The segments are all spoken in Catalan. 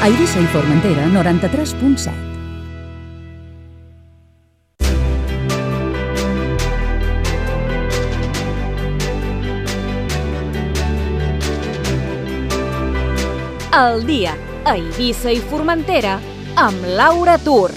A Eivissa i Formentera, 93.7. El dia a Eivissa i Formentera amb Laura Tur.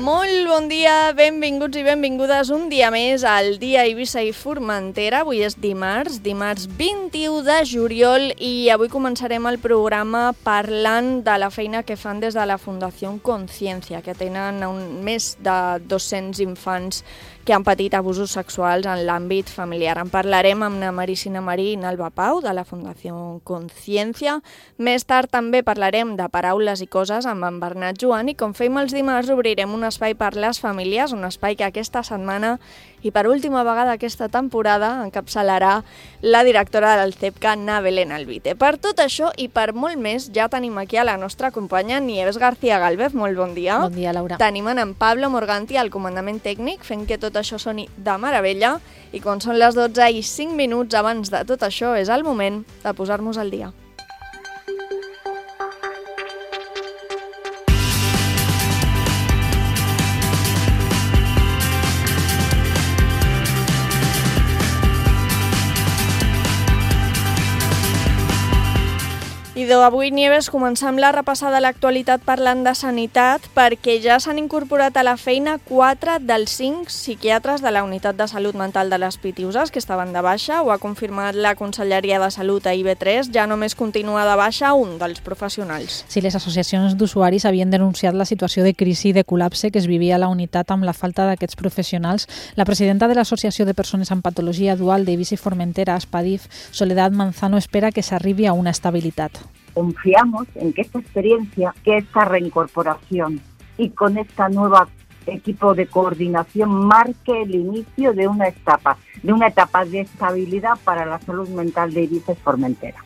Molt bon dia, benvinguts i benvingudes un dia més al dia a Eivissa i Formentera. Avui és dimarts 21 de juliol i avui començarem el programa parlant de la feina que fan des de la Fundació Consciència, que tenen més de 200 infants que han patit abusos sexuals en l'àmbit familiar. En parlarem amb na Maricina Marí i Alba Pau, de la Fundació Consciència. Més tard també parlarem de paraules i coses amb en Bernat Joan i, com fem els dimarts, obrirem un espai per les famílies, un espai que aquesta setmana i per última vegada aquesta temporada encapçalarà la directora del CEPCA, na Belén Alvite. Per tot això i per molt més, ja tenim aquí a la nostra companya Nieves García Gálvez. Molt bon dia. Bon dia, Laura. Tenim en Pablo Morganti al comandament tècnic, fent que tot això soni de meravella, i quan són les 12 i 5 minuts abans de tot això és el moment de posar-nos al dia. I avui, Nieves, comencem la repassada de l'actualitat parlant de sanitat, perquè ja s'han incorporat a la feina 4 dels 5 psiquiatres de la Unitat de Salut Mental de les Pitiuses, que estaven de baixa. Ho ha confirmat la Conselleria de Salut a IB3. Ja només continua de baixa un dels professionals. Sí, les associacions d'usuaris havien denunciat la situació de crisi i de col·lapse que es vivia a la unitat amb la falta d'aquests professionals. La presidenta de l'Associació de Persones amb Patologia Dual d'Eivissa i Formentera, ASPADIF, Soledad Manzano, espera que s'arribi a una estabilitat. Confiamos en que esta experiencia, que esta reincorporación y con esta nueva equipo de coordinación marque el inicio de una etapa de estabilidad para la salud mental de Eivissa i Formentera.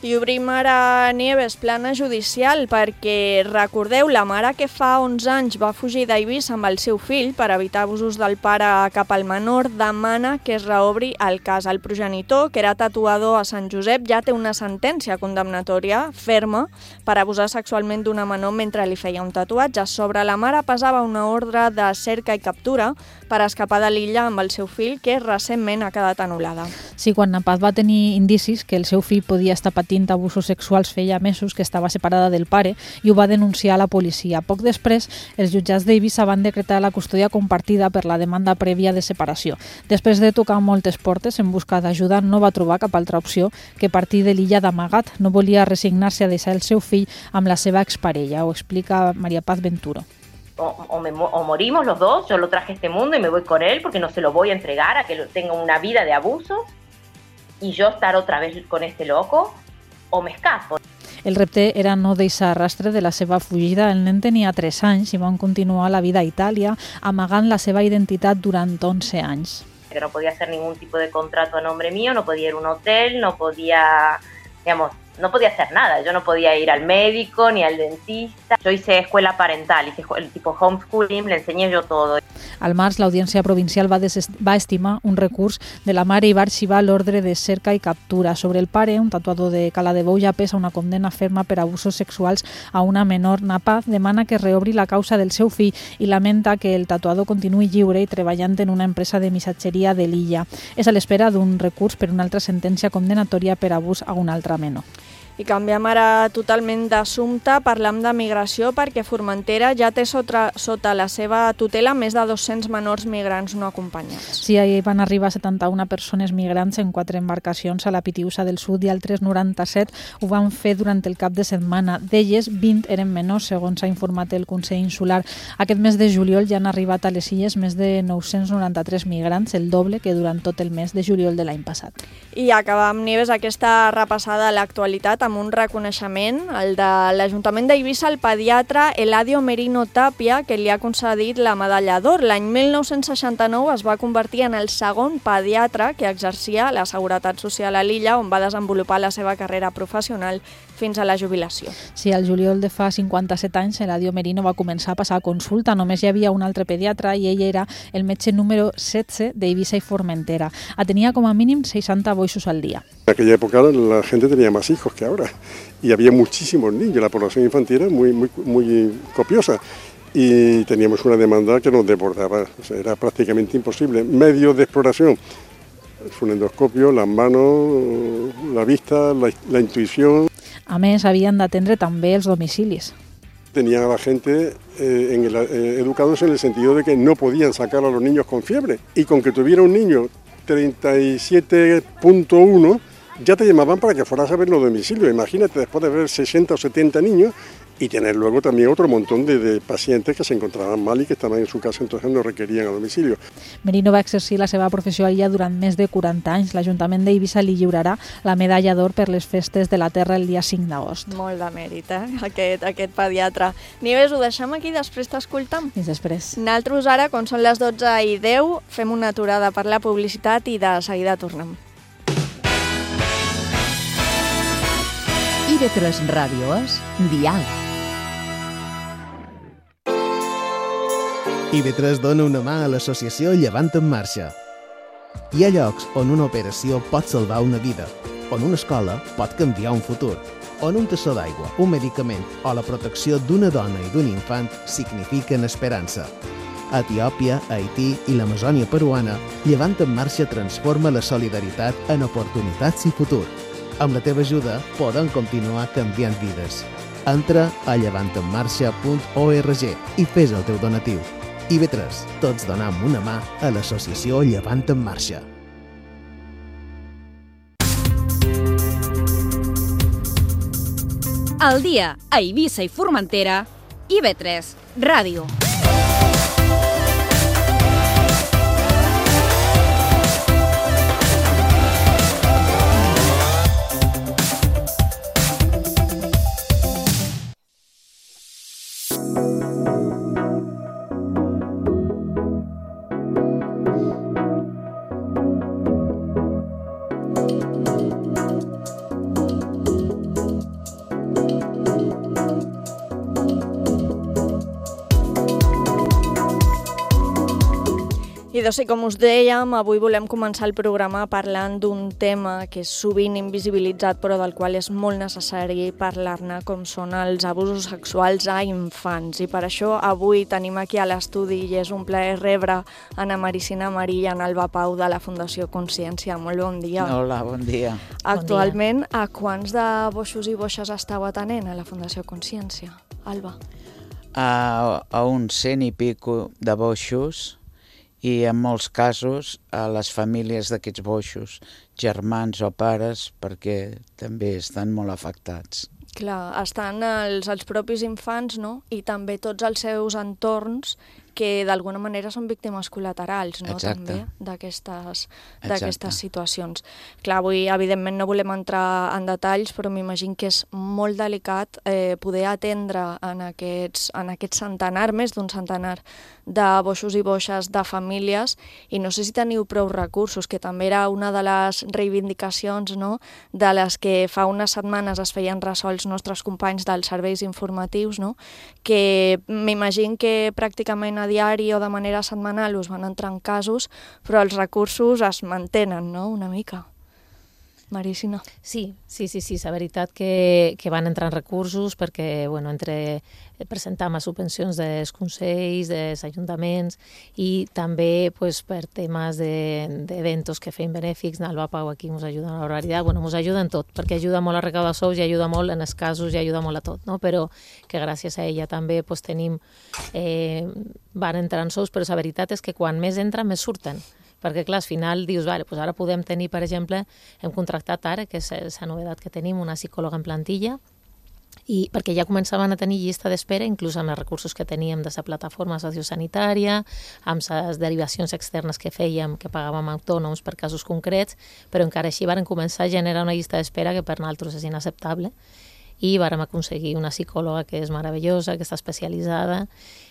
I obrim ara, Nieves, plana judicial, perquè recordeu, la mare que fa 11 anys va fugir d'Eivissa amb el seu fill per evitar abusos del pare cap al menor, demana que es reobri el cas. El progenitor, que era tatuador a Sant Josep, ja té una sentència condemnatòria ferma per abusar sexualment d'una menor mentre li feia un tatuatge. Sobre la mare pesava una ordre de cerca i captura per escapar de l'illa amb el seu fill, que recentment ha quedat anul·lada. Sí, quan Napaz va tenir indicis que el seu fill podia estar patint abusos sexuals feia mesos que estava separada del pare i ho va denunciar a la policia. Poc després, els jutjats d'Eivissa van decretar la custòdia compartida per la demanda prèvia de separació. Després de tocar moltes portes en busca d'ajuda, no va trobar cap altra opció que partir de l'illa d'amagat. No volia resignar-se a deixar el seu fill amb la seva exparella. Ho explica María Paz Venturo. O morimos los dos, yo lo traje a este mundo y me voy con él porque no se lo voy a entregar a que tenga una vida de abusos y yo estar otra vez con este loco, o me escapo. El repte era no deixar rastre de la seva fugida. El nen tenia 3 anys i van continuar la vida a Itàlia, amagant la seva identitat durant 11 anys. Que no podía hacer ningún tipo de contrato a nombre mío, no podía ir a un hotel, no podía hacer nada. Yo no podía ir al médico ni al dentista. Yo hice escuela parental, hice el tipo homeschooling, le enseñé yo todo. Al març, l'Audiència Provincial va estimar un recurs de la mare i va arxivar l'ordre de cerca i captura. Sobre el pare, un tatuador de Cala de Bou, ja pesa una condemna ferma per abusos sexuals a una menor. Napaz demana que reobri la causa del seu fill i lamenta que el tatuador continuï lliure i treballant en una empresa de missatgeria de l'illa. És a l'espera d'un recurs per una altra sentència condemnatòria per abús a un altre menor. I canviem ara totalment d'assumpte, parlem de migració, perquè Formentera ja té sota la seva tutela més de 200 menors migrants no acompanyats. Sí, ahir van arribar 71 persones migrants en 4 embarcacions a la Pitiusa del Sud i altres 97 ho van fer durant el cap de setmana. D'elles, 20 eren menors, segons ha informat el Consell Insular. Aquest mes de juliol ja han arribat a les illes més de 993 migrants, el doble que durant tot el mes de juliol de l'any passat. I acabem, Nieves, aquesta repassada a l'actualitat amb un reconeixement, el de l'Ajuntament d'Eivissa, el pediatre Eladio Merino Tapia, que li ha concedit la medalla d'or. L'any 1969 es va convertir en el segon pediatre que exercia la Seguretat Social a l'illa, on va desenvolupar la seva carrera professional fins a la jubilació. Sí, el juliol de fa 57 anys, Eladio Merino va començar a passar a consulta. Només hi havia un altre pediatre i ell era el metge número 16 d'Eivissa i Formentera. Tenia com a mínim 60 boixos al día. En aquella época la gente tenía más hijos que ahora y había muchísimos niños. La población infantil era muy copiosa y teníamos una demanda que nos desbordaba. O sea, era prácticamente imposible. Medios de exploración, el fonendoscopio, las manos, la vista, la intuición. A més, havien d'atendre també els domicilis. Tenían a la gente educados en el sentido de que no podían sacar a los niños con fiebre y con que tuviera un niño 37.1 ya te llamaban para que fueras a ver los domicilios. Imagínate, después de ver 60 o 70 niños y tener luego también otro montón de pacientes que se encontraban mal y que estaban en su casa, entonces no requerían a domicilio. Merino va exercir la seva professió allà durant més de 40 anys. L'Ajuntament d'Eivissa li lliurarà la medalla d'or per les festes de la Terra el dia 5 d'agost. Molt de mèrit, aquest pediatre. Nieves, ho deixem aquí, després t'escoltam? Fins després. Nosaltres ara, quan són les 12:10, fem una aturada per la publicitat i de seguida tornem. IB3 Ràdio és Diàleg. IB3 dona una mà a l'associació Llevant en Marxa. Hi ha llocs on una operació pot salvar una vida, on una escola pot canviar un futur, on un tassó d'aigua, un medicament o la protecció d'una dona i d'un infant signifiquen esperança. A Etiòpia, Haití i l'Amazònia peruana, Llevant en Marxa transforma la solidaritat en oportunitats i futur. Amb la teva ajuda podem continuar canviant vides. Entra a llevantenmarxa.org i fes el teu donatiu. IB3, tots donem una mà a l'associació Llevant en Marxa. Al dia a Eivissa i Formentera, IB3 Ràdio. I doncs, com us dèiem, avui volem començar el programa parlant d'un tema que és sovint invisibilitzat però del qual és molt necessari parlar-ne, com són els abusos sexuals a infants. I per això avui tenim aquí a l'estudi i és un plaer rebre Ana Maricina Marí i en Alba Pau de la Fundació Consciència. Molt bon dia. Hola, bon dia. Actualment, a quants de boixos i boixes esteu atenent a la Fundació Consciència? Alba. A uns 100 i pico de boixos i en molts casos a les famílies d'aquests boixos, germans o pares, perquè també estan molt afectats. Clar, estan els propis infants, no? I també tots els seus entorns que d'alguna manera són víctimes col·laterals, no? Exacte. També d'aquestes situacions. Clar, avui evidentment no volem entrar en detalls, però m'imagino que és molt delicat poder atendre en aquests centenar, més d'un centenar de boixos i boixes de famílies, i no sé si teniu prou recursos, que també era una de les reivindicacions, no?, de les que fa unes setmanes es feien ressò els nostres companys dels serveis informatius, no?, que m'imagino que pràcticament a diari o de manera setmanal us van entrant casos, però els recursos es mantenen, no?, una mica. Maricina. Sí, la veritat que van entrant recursos perquè, bueno, entre presentar més subvencions dels consells, dels ajuntaments i també pues, per temes d'eventos que fem benèfics, Alba Pau aquí ens ajuda a l'horaritat, bueno, ens ajuda en tot, perquè ajuda molt a recaudar sous i ajuda molt en els casos i ajuda molt a tot, no? Però que gràcies a ella també pues, tenim, van entrant sous, però la veritat és que quan més entren, més surten. Perquè, clar, al final dius, vale, doncs ara podem tenir, per exemple, hem contractat ara, que és la novetat que tenim, una psicòloga en plantilla, i perquè ja començaven a tenir llista d'espera, inclús amb els recursos que teníem de la plataforma sociosanitària, amb les derivacions externes que fèiem, que pagàvem autònoms per casos concrets, però encara així varen començar a generar una llista d'espera que per nosaltres és inacceptable, i vàrem aconseguir una psicòloga que és meravellosa, que està especialitzada,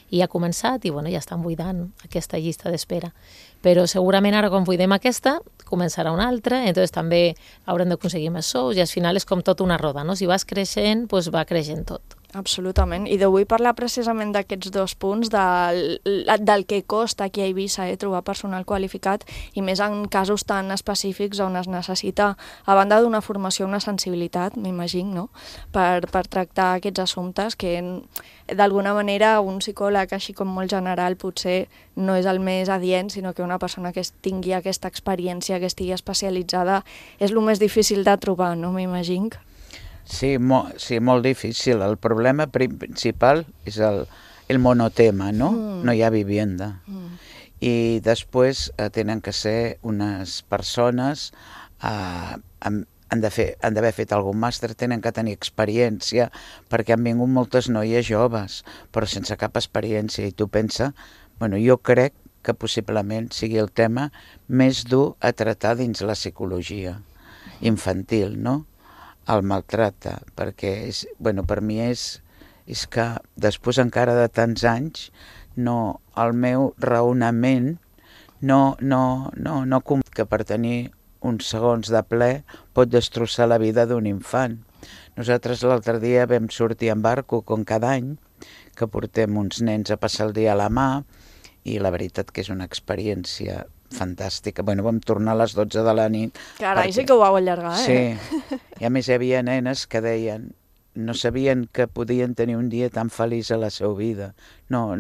i ha començat, i bueno, ja estan buidant aquesta llista d'espera. Però segurament ara, quan buidem aquesta, començarà una altra, entonces també haurem d'aconseguir més sous, i al final és com tot una roda, no? Si vas creixent, doncs va creixent tot. Absolutament. I vull parlar precisament d'aquests dos punts, del que costa aquí a Eivissa trobar personal qualificat, i més en casos tan específics on es necessita, a banda d'una formació, una sensibilitat, m'imagino, no? per tractar aquests assumptes que d'alguna manera un psicòleg així com molt general potser no és el més adient, sinó que una persona que tingui aquesta experiència, que estigui especialitzada, és el més difícil de trobar, no? M'imagino. Sí, molt difícil. El problema principal és el monotema, no? No hi ha vivienda. I després tenen que ser unes persones, han d'haver fet algun màster, tenen que tenir experiència, perquè han vingut moltes noies joves, però sense cap experiència. I tu pensa, bueno, jo crec que possiblement sigui el tema més dur a tractar dins la psicologia infantil, no? El maltracte, perquè per mi és que després encara de tants anys el meu raonament no que per tenir uns segons de ple pot destrossar la vida d'un infant. Nosaltres l'altre dia vam sortir en barco com cada any, que portem uns nens a passar el dia a la mà, i la veritat que és una experiència fantàstica. Vam tornar a les 12 de la nit. Carai, sí que ho vau allargar, Sí, i a més hi havia nenes que deien, no sabien que podien tenir un dia tan feliç a la seva vida. No,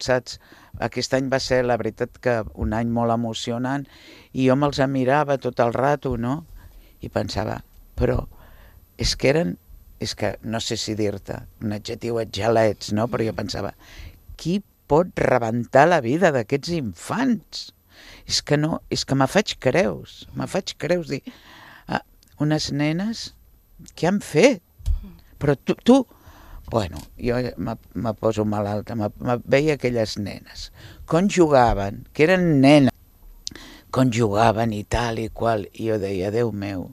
saps? Aquest any va ser, la veritat, que un any molt emocionant, i jo me'ls mirava tot el rato, no? I pensava, però és que no sé si dir-te un adjectiu, gelets, no? Però jo pensava, qui pot rebentar la vida d'aquests infants? És que me faig creus, dir, unes nenes, què han fet? Però tu, bueno, jo me poso malalta, veia aquelles nenes, com jugaven, que eren nenes, com jugaven i tal i qual, i jo deia, Déu meu,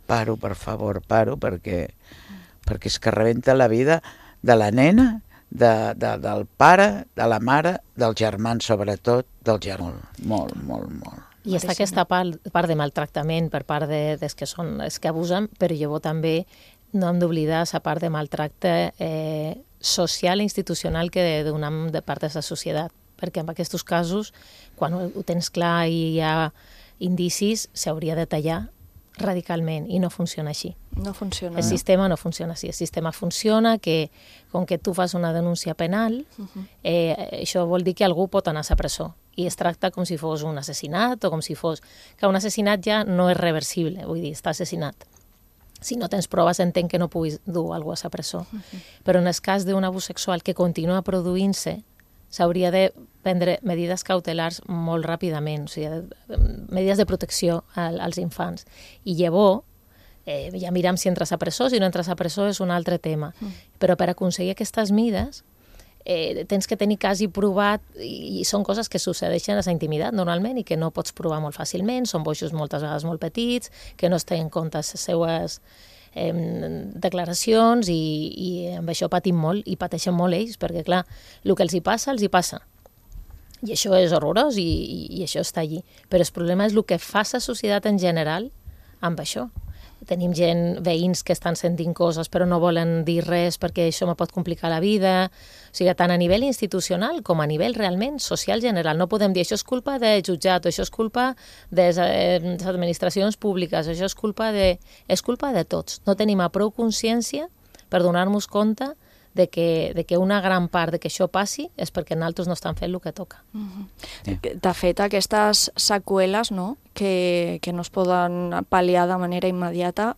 paro, per favor, perquè és que rebenta la vida de la nena, del pare, de la mare, dels germans sobretot, del germà, molt. I està aquesta part de maltractament per part dels que són els que abusen, però llavors també no hem d'oblidar la part de maltracte social i institucional que donem de part de la societat, perquè en aquests casos, quan ho tens clar i hi ha indicis, s'hauria de tallar radicalment, i no funciona així. No funciona. El sistema no funciona així. El sistema funciona que, com que tu fas una denúncia penal, això vol dir que algú pot anar a la presó, i es tracta com si fos un assassinat, o com si fos... que un assassinat ja no és reversible, vull dir, està assassinat. Si no tens proves, entenc que no puguis dur algú a la presó. Però en el cas d'un abús sexual que continua produint-se, s'hauria de prendre medides cautelars molt ràpidament, o sigui, medides de protecció als infants. I llavors, ja miram si entres a presó, si no entres a presó és un altre tema. Però per aconseguir aquestes mides, tens que tenir quasi provat, i són coses que succeeixen a la intimitat normalment i que no pots provar molt fàcilment, són boixos moltes vegades molt petits, que no es tenen en compte les seues declaracions, i amb això patim molt, i pateixen molt ells, perquè clar, el que els hi passa. I això és horrorós, i això està allí. Però el problema és el que fa la societat en general amb això. Tenim veïns que estan sentint coses però no volen dir res perquè això me pot complicar la vida. O sigui, tant a nivell institucional com a nivell realment social general. No podem dir això és culpa de jutjat, això és culpa de les administracions públiques, això és culpa de tots. No tenim prou consciència per donar-nos compte de que una gran part de que això passi és perquè nosaltres no estan fent el que toca. De fet, aquestes seqüeles, no?, que no es poden pal·liar de manera immediata,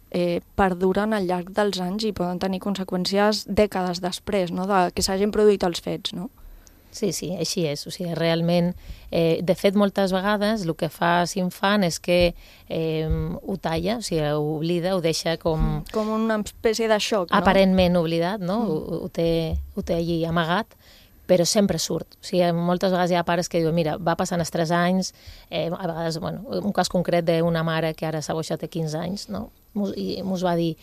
perduren al llarg dels anys i poden tenir conseqüències dècades després, no?, de que s'hagin produït els fets, no? Sí, així és. O sigui, realment, de fet, moltes vegades el que fa l'infant és que ho talla, o sigui, ho oblida, ho deixa com... Com una espècie de xoc, no? Aparentment oblidat, no? Ho té allí amagat, però sempre surt. O sigui, moltes vegades hi ha pares que diuen, mira, va passant els 3 anys, a vegades, bueno, un cas concret d'una mare que ara s'ha boixat de 15 anys, no? I mos va dir,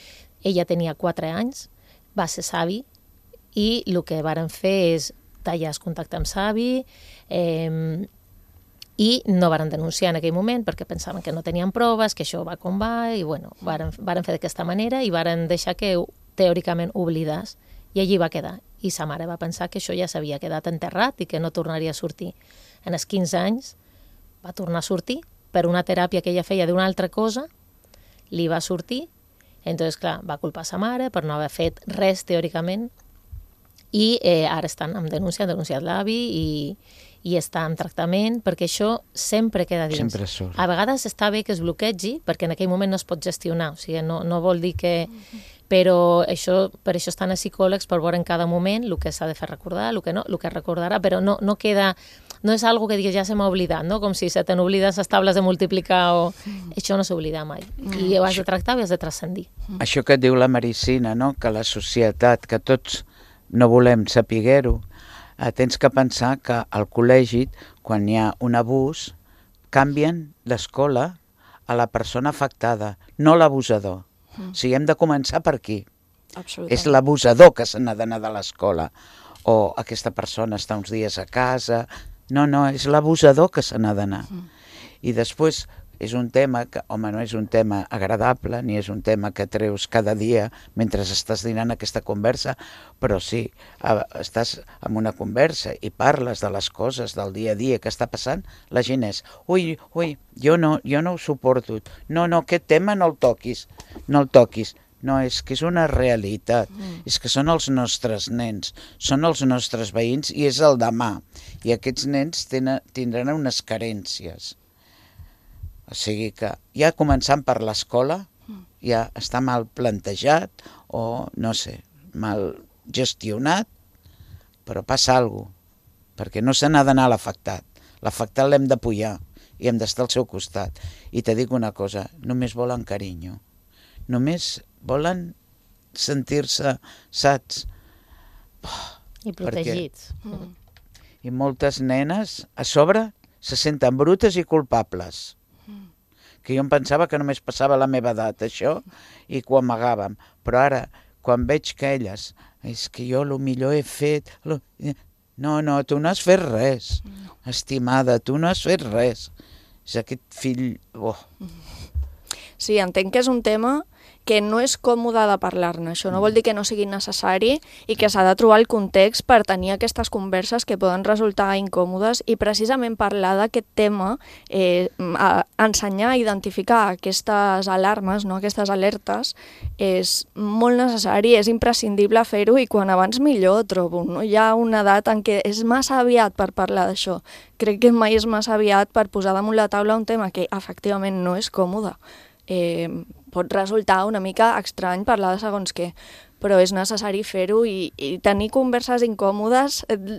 ella tenia 4 anys, va ser savi, i el que varen fer és tallar el contacte amb savi i no varen denunciar en aquell moment perquè pensaven que no tenien proves, que això va com va, i bueno, varen fer d'aquesta manera i varen deixar que teòricament oblidés, i allí va quedar. I sa mare va pensar que això ja s'havia quedat enterrat i que no tornaria a sortir. En els 15 anys va tornar a sortir per una teràpia que ella feia d'una altra cosa, li va sortir, entonces, clar, va culpar sa mare per no haver fet res teòricament, i ara estan amb denúncia, han denunciat l'avi i està en tractament, perquè això sempre queda dins. Sempre surt. A vegades està bé que es bloquegi, perquè en aquell moment no es pot gestionar, o sigui, no vol dir que... Però per això estan els psicòlegs, per veure en cada moment el que s'ha de fer recordar, el que no, el que recordarà, però no queda... No és algo que digues, ja se m'ha oblidat, no? Com si se t'han oblidat les tables de multiplicar o... Això no s'oblida mai. I ho has de tractar i has de transcendir. Això que et diu la medicina, no? Que la societat, que tots no volem sapiguer-ho, tens que pensar que al col·legi, quan hi ha un abús, canvien l'escola a la persona afectada, no l'abusador. O sigui, hem de començar per aquí. És l'abusador que se n'ha d'anar de l'escola. O aquesta persona està uns dies a casa. No, és l'abusador que se n'ha d'anar. I després és un tema que, home, no és un tema agradable, ni és un tema que treus cada dia mentre estàs dinant aquesta conversa, però sí, estàs en una conversa i parles de les coses del dia a dia que està passant, la gent és, ui, jo no ho suporto, no, aquest tema no el toquis. No, és que és una realitat, és que són els nostres nens, són els nostres veïns i és el demà. I aquests nens tindran unes carències. O sigui que ja començant per l'escola ja està mal plantejat o, no sé, mal gestionat, però passa alguna cosa, perquè no se n'ha d'anar a l'afectat. L'afectat l'hem d'apoyar i hem d'estar al seu costat. I te dic una cosa, només volen carinyo. Només volen sentir-se saps. I protegits. I moltes nenes, a sobre, se senten brutes i culpables. Que jo em pensava que només passava a la meva edat, això, i que ho amagàvem. Però ara, quan veig que elles, és que jo millor he fet... No, tu no has fet res, estimada, tu no has fet res. És aquest fill... Sí, entenc que és un tema que no és còmode de parlar-ne. Això no vol dir que no sigui necessari i que s'ha de trobar el context per tenir aquestes converses que poden resultar incòmodes i precisament parlar d'aquest tema, ensenyar a identificar aquestes alarmes, no? Aquestes alertes, és molt necessari, és imprescindible fer-ho i quan abans millor, trobo. No? Hi ha una edat en què és massa aviat per parlar d'això. Crec que mai és massa aviat per posar damunt la taula un tema que efectivament no és còmode. Pot resultar una mica estrany parlar de segons què, però és necessari fer-ho i tenir converses incòmodes,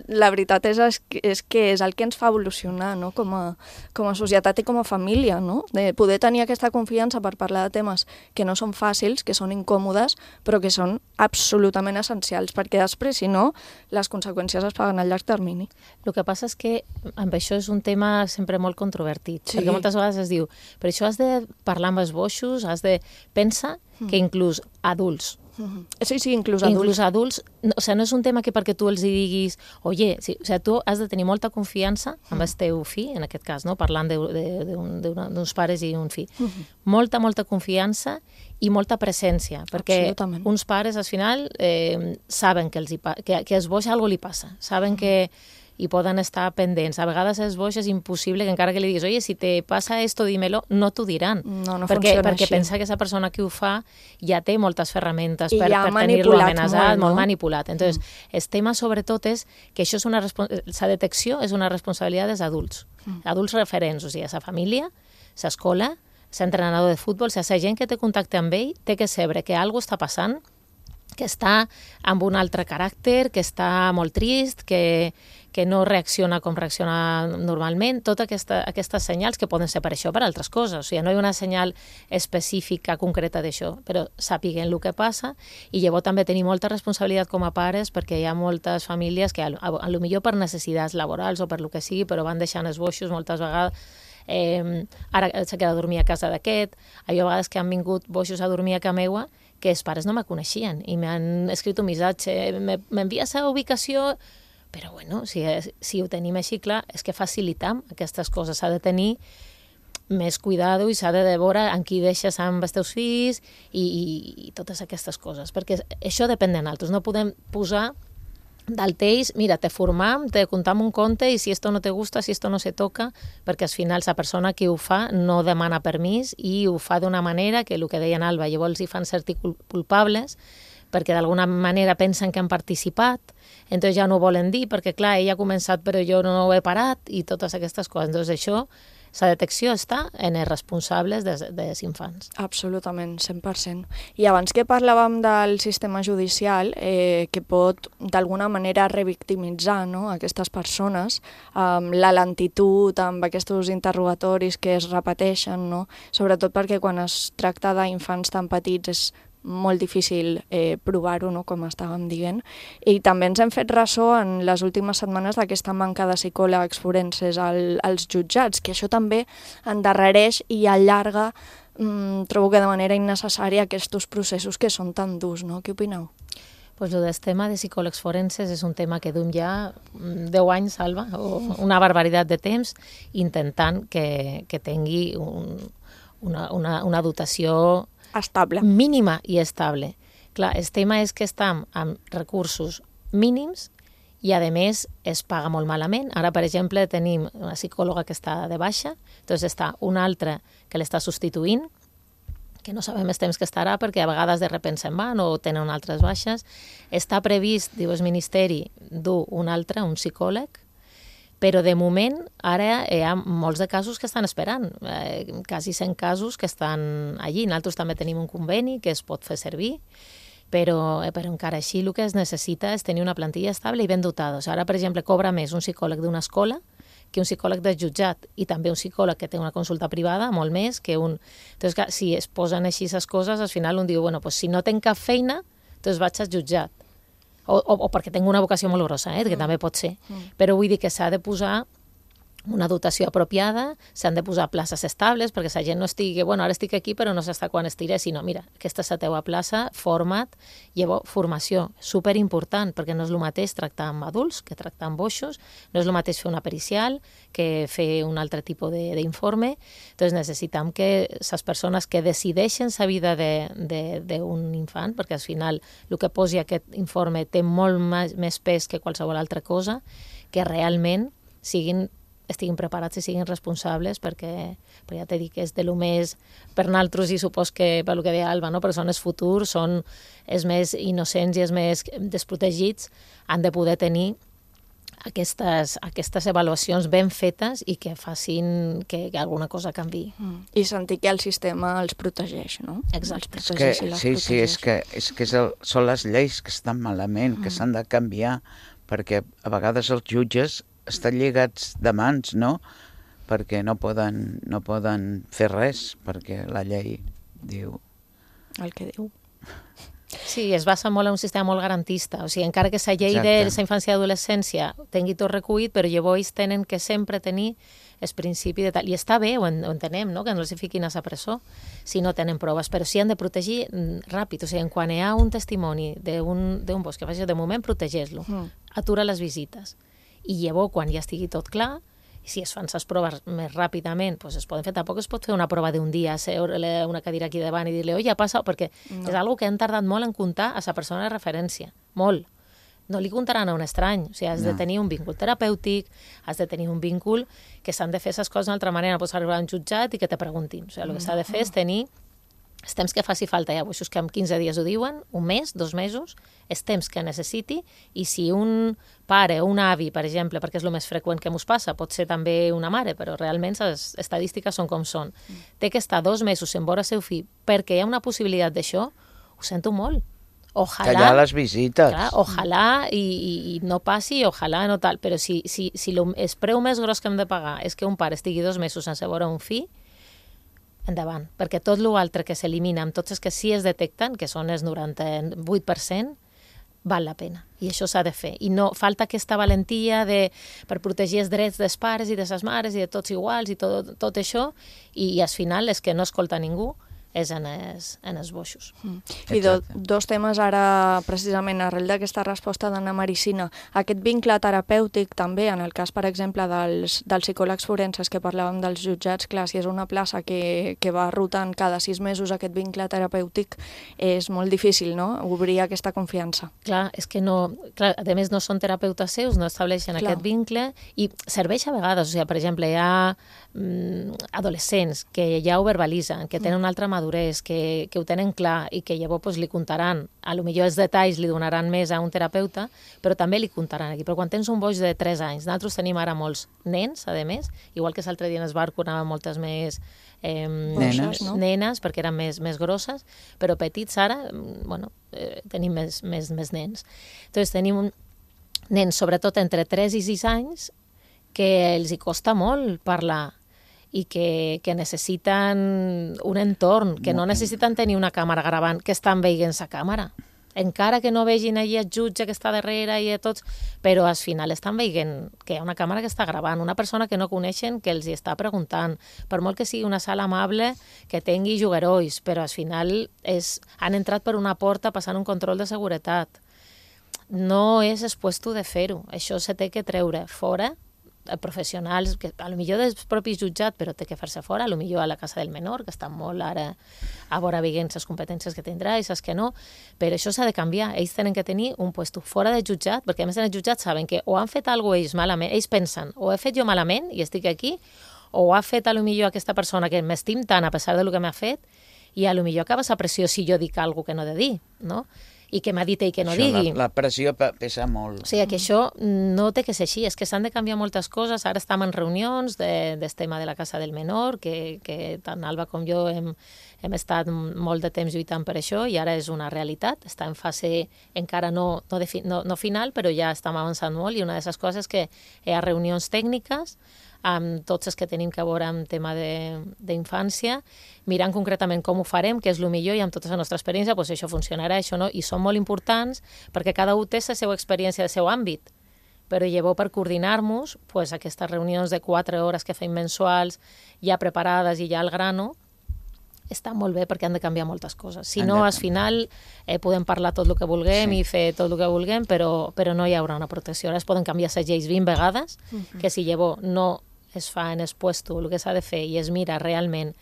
la veritat és que és el que ens fa evolucionar, no? Com a societat i com a família, no? De poder tenir aquesta confiança per parlar de temes que no són fàcils, que són incòmodes, però que són absolutament essencials, perquè després, si no, les conseqüències es paguen a llarg termini. El que passa és que amb això és un tema sempre molt controvertit, perquè moltes vegades es diu, per això has de parlar amb els boixos, pensa que inclús adults, Sí, inclús adults. Inclús adults, o sigui, no és un tema que perquè tu els diguis, oye, sí, o sigui, tu has de tenir molta confiança amb el teu fill, en aquest cas, no? Parlant d'uns pares i un fill. Molta confiança i molta presència, perquè uns pares al final saben que als boix alguna cosa li passa, saben que i poden estar pendents. A vegades els boix és impossible que encara que li diguis, oye, si te passa esto, dímelo, no t'ho diran. No funciona perquè així. Pensa que aquesta persona que ho fa ja té moltes ferramentes per tenir-lo amenaçat, molt manipulat. Entonces, el tema sobretot és que això és la detecció és una responsabilitat dels adults. Adults referents, o sigui, la família, l'escola, l'entrenador de futbol, la gent que té contacte amb ell té que saber que alguna cosa està passant que està amb un altre caràcter, que està molt trist, que no reacciona com reacciona normalment, totes aquestes senyals que poden ser per això o per altres coses. O sigui, no hi ha una senyal específica, concreta d'això, però sàpiguen el que passa i llavors també tenir molta responsabilitat com a pares perquè hi ha moltes famílies que potser per necessitats laborals o per lo que sigui, però van deixant esboixos moltes vegades. Ara s'ha quedat a dormir a casa d'aquest. Hi ha vegades que han vingut boixos a dormir a casa meua que els pares no me coneixien i m'han escrit un missatge, m'envies a ubicació. Però bueno, si ho tenim així clar, és que facilitam aquestes coses. S'ha de tenir més cuidado i s'ha de veure en qui deixes amb els teus fills i totes aquestes coses, perquè això depèn de nosaltres. No podem posar del tells, mira, te formam, te contam un conte i si esto no te gusta, si esto no se toca, perquè al final la persona que ho fa no demana permís i ho fa d'una manera que el que deia en Alba, llavors hi fan sentir culpables perquè d'alguna manera pensen que han participat, entonces ja no ho volen dir, perquè clar, ella ha començat però jo no ho he parat i totes aquestes coses. Entonces això, la detecció està en els responsables dels infants. Absolutament, 100%. I abans que parlàvem del sistema judicial, que pot d'alguna manera revictimitzar, no, aquestes persones, la lentitud amb aquests interrogatoris que es repeteixen, no? Sobretot perquè quan es tracta d'infants tan petits és molt difícil provar-ho, no?, com estàvem dient. I també ens hem fet ressò en les últimes setmanes d'aquesta manca de psicòlegs forenses als jutjats, que això també endarrereix i allarga, trobo que de manera innecessària, aquests processos que són tan durs, no? Què opineu? Pues el tema de psicòlegs forenses és un tema que duim ja 10 anys, Alba, o una barbaritat de temps, intentant que tingui una dotació estable, mínima i estable. Clar, el tema és que estem amb recursos mínims i, a més, es paga molt malament. Ara, per exemple, tenim una psicòloga que està de baixa, doncs està una altra que l'està substituint, que no sabem els temps que estarà perquè a vegades de repente se'n van o tenen altres baixes. Està previst, diu el Ministeri, dur un altre, un psicòleg, però de moment ara hi ha molts de casos que estan esperant, quasi 100 casos que estan allí. Nosaltres també tenim un conveni que es pot fer servir, però encara així el que es necessita és tenir una plantilla estable i ben dotada. Ara, per exemple, cobra més un psicòleg d'una escola que un psicòleg del jutjat i també un psicòleg que té una consulta privada, molt més que un... Entonces, clar, si es posen així les coses, al final un diu, bueno, pues si no tenc cap feina, doncs vaig al jutjat. O perquè tinc una vocació molt grossa, que també pot ser. Però vull dir que s'ha de posar una dotació apropiada, s'han de posar places estables, perquè la gent no estigui, bueno, ara estic aquí però no s'està quan estiré, sinó, mira, aquesta és la teua plaça, forma't, llavors formació, superimportant, perquè no és el mateix tractar amb adults que tractar amb boixos, no és el mateix fer una pericial que fer un altre tipus d'informe. Entonces necessitem que les persones que decideixen la vida d'un infant, perquè al final el que posi aquest informe té molt més pes que qualsevol altra cosa, que realment estiguin preparats i siguin responsables, perquè ja t'he dit que és de lo més per nosaltres i supos que per lo que deia Alba, no? Però són els futurs, són els més innocents i els més desprotegits, han de poder tenir aquestes avaluacions ben fetes i que facin que alguna cosa canviï. I sentir que el sistema els protegeix, no? Exacte. És que són les lleis que estan malament, que s'han de canviar, perquè a vegades els jutges estan lligats de mans, no? Perquè no poden fer res, perquè la llei diu... El que diu. Sí, es basa molt en un sistema molt garantista. O sigui, encara que la llei de la infància i adolescència tingui tot recollit, però llavors tenen que sempre tenir el principi de tal. I està bé, ho entenem, no? Que no els fiquin a la presó si no tenen proves, però sí han de protegir ràpid. O sigui, quan hi ha un testimoni d'un bosc que faci de moment, protegeix-lo. Atura les visites. I llavors, quan ja estigui tot clar, si es fan les proves més ràpidament, doncs es poden fer. Tampoc es pot fer una prova d'un dia, seure una cadira aquí davant i dir-li, oi, ja passa, perquè és una que han tardat molt en comptar a la persona de referència. Molt. No li comptaran a un estrany. O sigui, has de tenir un vincul terapèutic, has de tenir un vincul que s'han de fer les coses d'una altra manera. No pots arribar a un jutjat i que te preguntin. O sigui, el que s'ha de fer és tenir els temps que faci falta. Hi ha boixos que en 15 dies ho diuen, un mes, 2 mesos, els temps que necessiti, i si un pare o un avi, per exemple, perquè és el més freqüent que ens passa, pot ser també una mare, però realment les estadístiques són com són, té que estar 2 mesos en veure el seu fill perquè hi ha una possibilitat d'això, ho sento molt. Tallar les visites. Clar, ojalà i no passi, ojalà no tal, però si el preu més gros que hem de pagar és que un pare estigui 2 mesos sense veure un fill, endavant, perquè tot l'altre que s'elimina amb tots els que sí es detecten, que són el 98%, val la pena, i això s'ha de fer. I no falta aquesta valentia per protegir els drets dels pares i de les mares i de tots iguals i tot això, i al final és que no escolta ningú, és en els boixos. I dos temes ara, precisament, arrel d'aquesta resposta d'Anna Maricina. Aquest vincle terapèutic també, en el cas, per exemple, dels psicòlegs forenses que parlàvem dels jutjats, clar, si és una plaça que va rotant cada 6 mesos aquest vincle terapèutic, és molt difícil, no?, obrir aquesta confiança. Clar, és que no... Clar, a més, no són terapeutes seus, no estableixen aquest vincle, i serveix a vegades, o sigui, per exemple, hi ha adolescents que ja ho verbalitzen, que tenen una altra madurez, que ho tenen clar i que llavors li contaran, a lo millor els detalls li donaran més a un terapeuta, però també li contaran aquí. Però quan tens un boix de 3 anys, nosaltres tenim ara molts nens, a més, igual que l'altre dia en el barco anaven moltes més nenes, perquè eren més grosses, però petits ara, tenim més nens. Entonces tenim nens, sobretot entre 3 i 6 anys, que els hi costa molt parlar, i que necessiten un entorn, que no necessiten tenir una càmera gravant, que estan veient la càmera. Encara que no vegin allà el jutge que està darrere i tots, però al final estan veient que hi ha una càmera que està gravant, una persona que no coneixen que els hi està preguntant, per molt que sigui una sala amable, que tingui juguerois, però al final han entrat per una porta passant un control de seguretat. No és el puesto de fer-ho, això se té que treure fora, professionals, que a lo millor dels propis jutjats, però té que fer-se fora, a lo millor a la Casa del Menor, que estan molt ara a veure veient les competències que tindrà i les que no, però això s'ha de canviar. Ells tenen que tenir un puesto fora del jutjat, perquè a més en el jutjat saben que o han fet alguna cosa ells malament, ells pensen, o he fet jo malament i estic aquí, o ha fet a lo millor aquesta persona que m'estim tant a pesar de lo que m'ha fet, i a lo millor acaba la pressió si jo dic alguna cosa que no he de dir, no? I que m'ha dit ell que no digui. La pressió pesa molt. O sigui, que això no té que ser així, és que s'han de canviar moltes coses. Ara estem en reunions del tema de la Casa del Menor, que tant Alba com jo hem estat molt de temps lluitant per això, i ara és una realitat. Està en fase encara no final, però ja estem avançant molt, i una de les coses és que hi ha reunions tècniques amb tots els que tenim que veure amb tema d'infància, mirant concretament com ho farem, què és el millor, i amb tota la nostra experiència, doncs això funcionarà, això no, i són molt importants perquè cada un té la seva experiència, el seu àmbit, però llavors per coordinar-nos, doncs aquestes reunions de 4 hores que fem mensuals, ja preparades i ja al grano, està molt bé perquè han de canviar moltes coses. Si no, al final podem parlar tot el que vulguem i fer tot el que vulguem, però no hi haurà una protecció. Ara es poden canviar les lleis 20 vegades, que si llavors no es fa en el puesto el que s'ha de fer i es mira realment,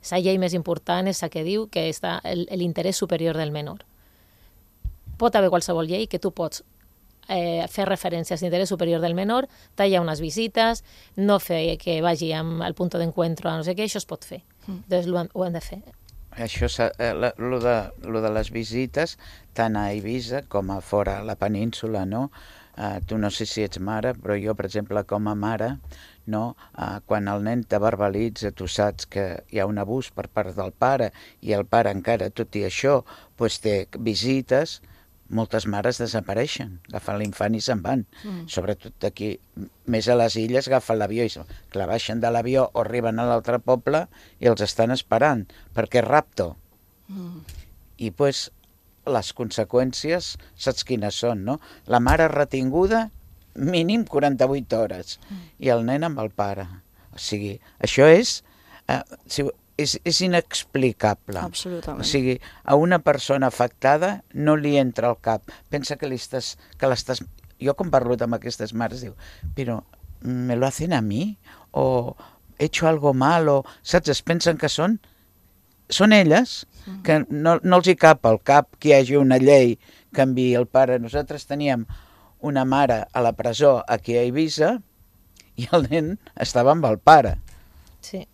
la llei més important és la que diu que està l'interès superior del menor. Pot haver qualsevol llei que tu pots fer referències a l'interès superior del menor, tallar unes visites, no fer que vagi al punt d'encuentro a no sé què, això es pot fer. Doncs ho hem de fer. Això, lo de les visites, tant a Eivissa com a fora a la península, no? Tu no sé si ets mare, però jo, per exemple, com a mare, no? Quan el nen te verbalitza, tu saps que hi ha un abús per part del pare, i el pare encara, tot i això, té visites, moltes mares desapareixen, agafen l'infant i se'n van. Sobretot aquí, més a les illes, agafen l'avió i clar, baixen de l'avió o arriben a l'altre poble i els estan esperant, perquè és rapto. I les conseqüències, saps quines són, no? La mare retinguda, mínim 48 hores, i el nen amb el pare. O sigui, això és inexplicable. Absolutament. O sigui, a una persona afectada no li entra al cap. Pensa que l'estàs... Jo quan parlo amb aquestes mares diu, però me lo hacen a mi? O he hecho algo mal? O, saps? Es pensen que són elles, que no els hi cap al cap que hi hagi una llei que enviï el pare. Nosaltres teníem una mare a la presó aquí a Eivissa i el nen estava amb el pare. Sí.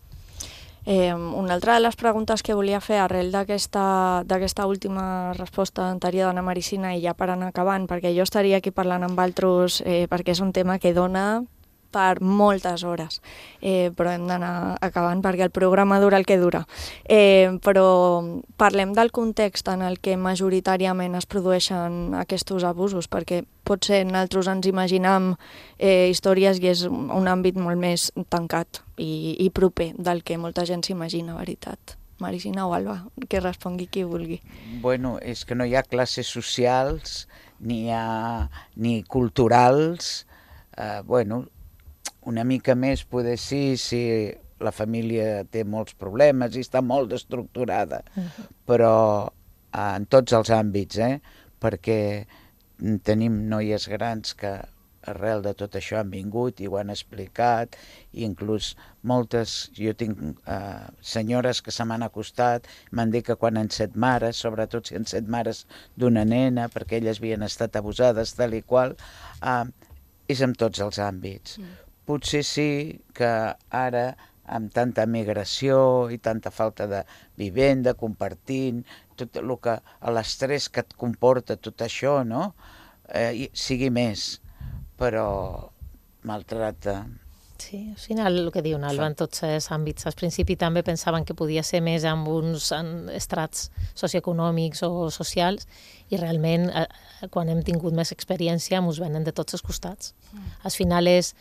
Una altra de les preguntes que volia fer arrel d'aquesta última resposta anterior d'Anna Maricina, i ja per anar acabant, perquè jo estaria aquí parlant amb altres, perquè és un tema que dona per moltes hores, però hem d'anar acabant perquè el programa dura el que dura. Però parlem del context en el que majoritàriament es produeixen aquests abusos, perquè potser nosaltres ens imaginam històries i és un àmbit molt més tancat i proper del que molta gent s'imagina, veritat. Maricina o Alba, que respongui qui vulgui. Bueno, és que no hi ha classes socials ni culturals. Bueno, una mica més poder sí, si la família té molts problemes i està molt estructurada, però en tots els àmbits, perquè tenim noies grans que arrel de tot això han vingut i ho han explicat, i inclús moltes, jo tinc senyores que se m'han acostat, m'han dit que quan han set mares, sobretot si han set mares d'una nena, perquè elles havien estat abusades, tal i qual, és en tots els àmbits. Potser sí que ara, amb tanta migració i tanta falta de vivenda, compartint, tot el que, l'estrès que et comporta tot això, no? Sigui més, però maltrata. Sí, al final el que diu Alba, en tots els àmbits. Al principi també pensaven que podia ser més en uns estrats socioeconòmics o socials, i realment quan hem tingut més experiència ens venen de tots els costats. Al final és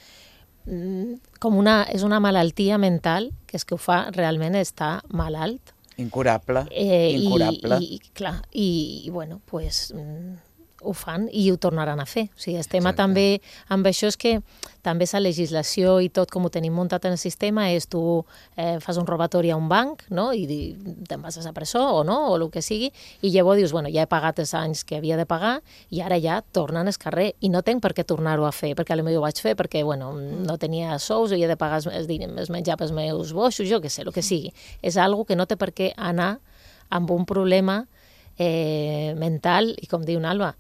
una malaltia mental que és que ho fa realment estar malalt. Incurable. I bueno, pues ho fan i ho tornaran a fer. O sigui, el tema també amb això és que també la legislació i tot com ho tenim muntat en el sistema és tu fas un robatori a un banc, no? I te'n vas a la presó o no, o el que sigui, i llavors dius, bueno, ja he pagat els anys que havia de pagar i ara ja tornen al carrer i no tenc per què tornar-ho a fer, perquè potser ho vaig fer perquè bueno, no tenia sous i he de pagar els menjar pels meus boixos, jo què sé, el que sigui. És algo que no té per què anar amb un problema mental i, com diu Alba,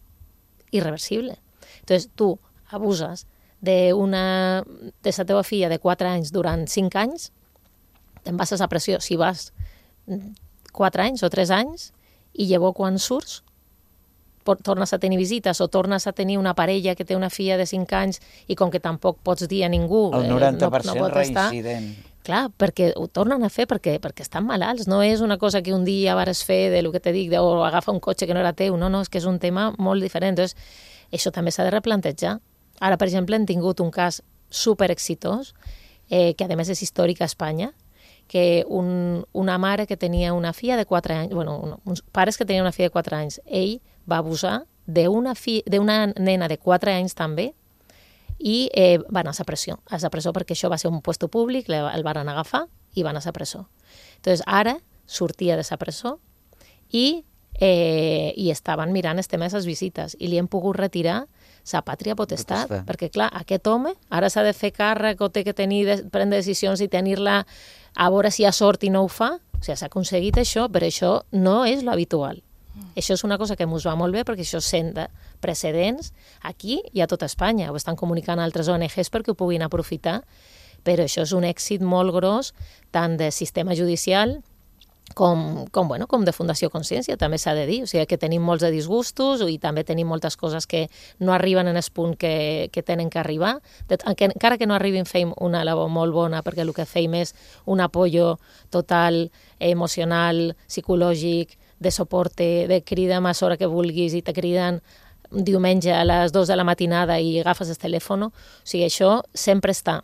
irreversible. Entonces, tu abuses de la teva filla de 4 anys durant 5 anys, te'n vas a la pressió. Si vas 4 anys o 3 anys i llavors quan surts tornes a tenir visites o tornes a tenir una parella que té una filla de 5 anys i com que tampoc pots dir a ningú... El 90% no reincident. Clar, perquè ho tornen a fer perquè estan malalts. No és una cosa que un dia vares fer de lo que te dic, o agafa un cotxe que no era teu. No, és que és un tema molt diferent. Entonces, això també s'ha de replantejar. Ara, per exemple, hem tingut un cas super exitós, que a més és històric a Espanya, que una mare que tenia una filla de 4 anys, bueno, uns pares que tenien una filla de 4 anys, ell va abusar d'una nena de 4 anys també, i va anar a la presó perquè això va ser un puesto públic, el van agafar i van a la presó. Entonces, ara sortia de la presó i estaven mirant el tema de les visites i li hem pogut retirar la pàtria potestat, perquè clar, aquest home ara s'ha de fer càrrec o té que prendre decisions i tenir-la a veure si ha sort i no ho fa. O sigui, s'ha aconseguit això, però això no és l'habitual. Això és una cosa que ens va molt bé perquè això senta precedents aquí i a tota Espanya. Ho estan comunicant altres ONGs perquè ho puguin aprofitar, però això és un èxit molt gros tant del sistema judicial com de Fundació Consciència, també s'ha de dir. O sigui que tenim molts de disgustos i també tenim moltes coses que no arriben en el punt que tenen que arribar. Encara que no arribin, feim una labor molt bona perquè el que feim és un apoyo total, emocional, psicològic, de suporte, de crida'm a l'hora que vulguis i te criden diumenge a les 2 de la matinada i agafes el telèfon. O sigui, això sempre està.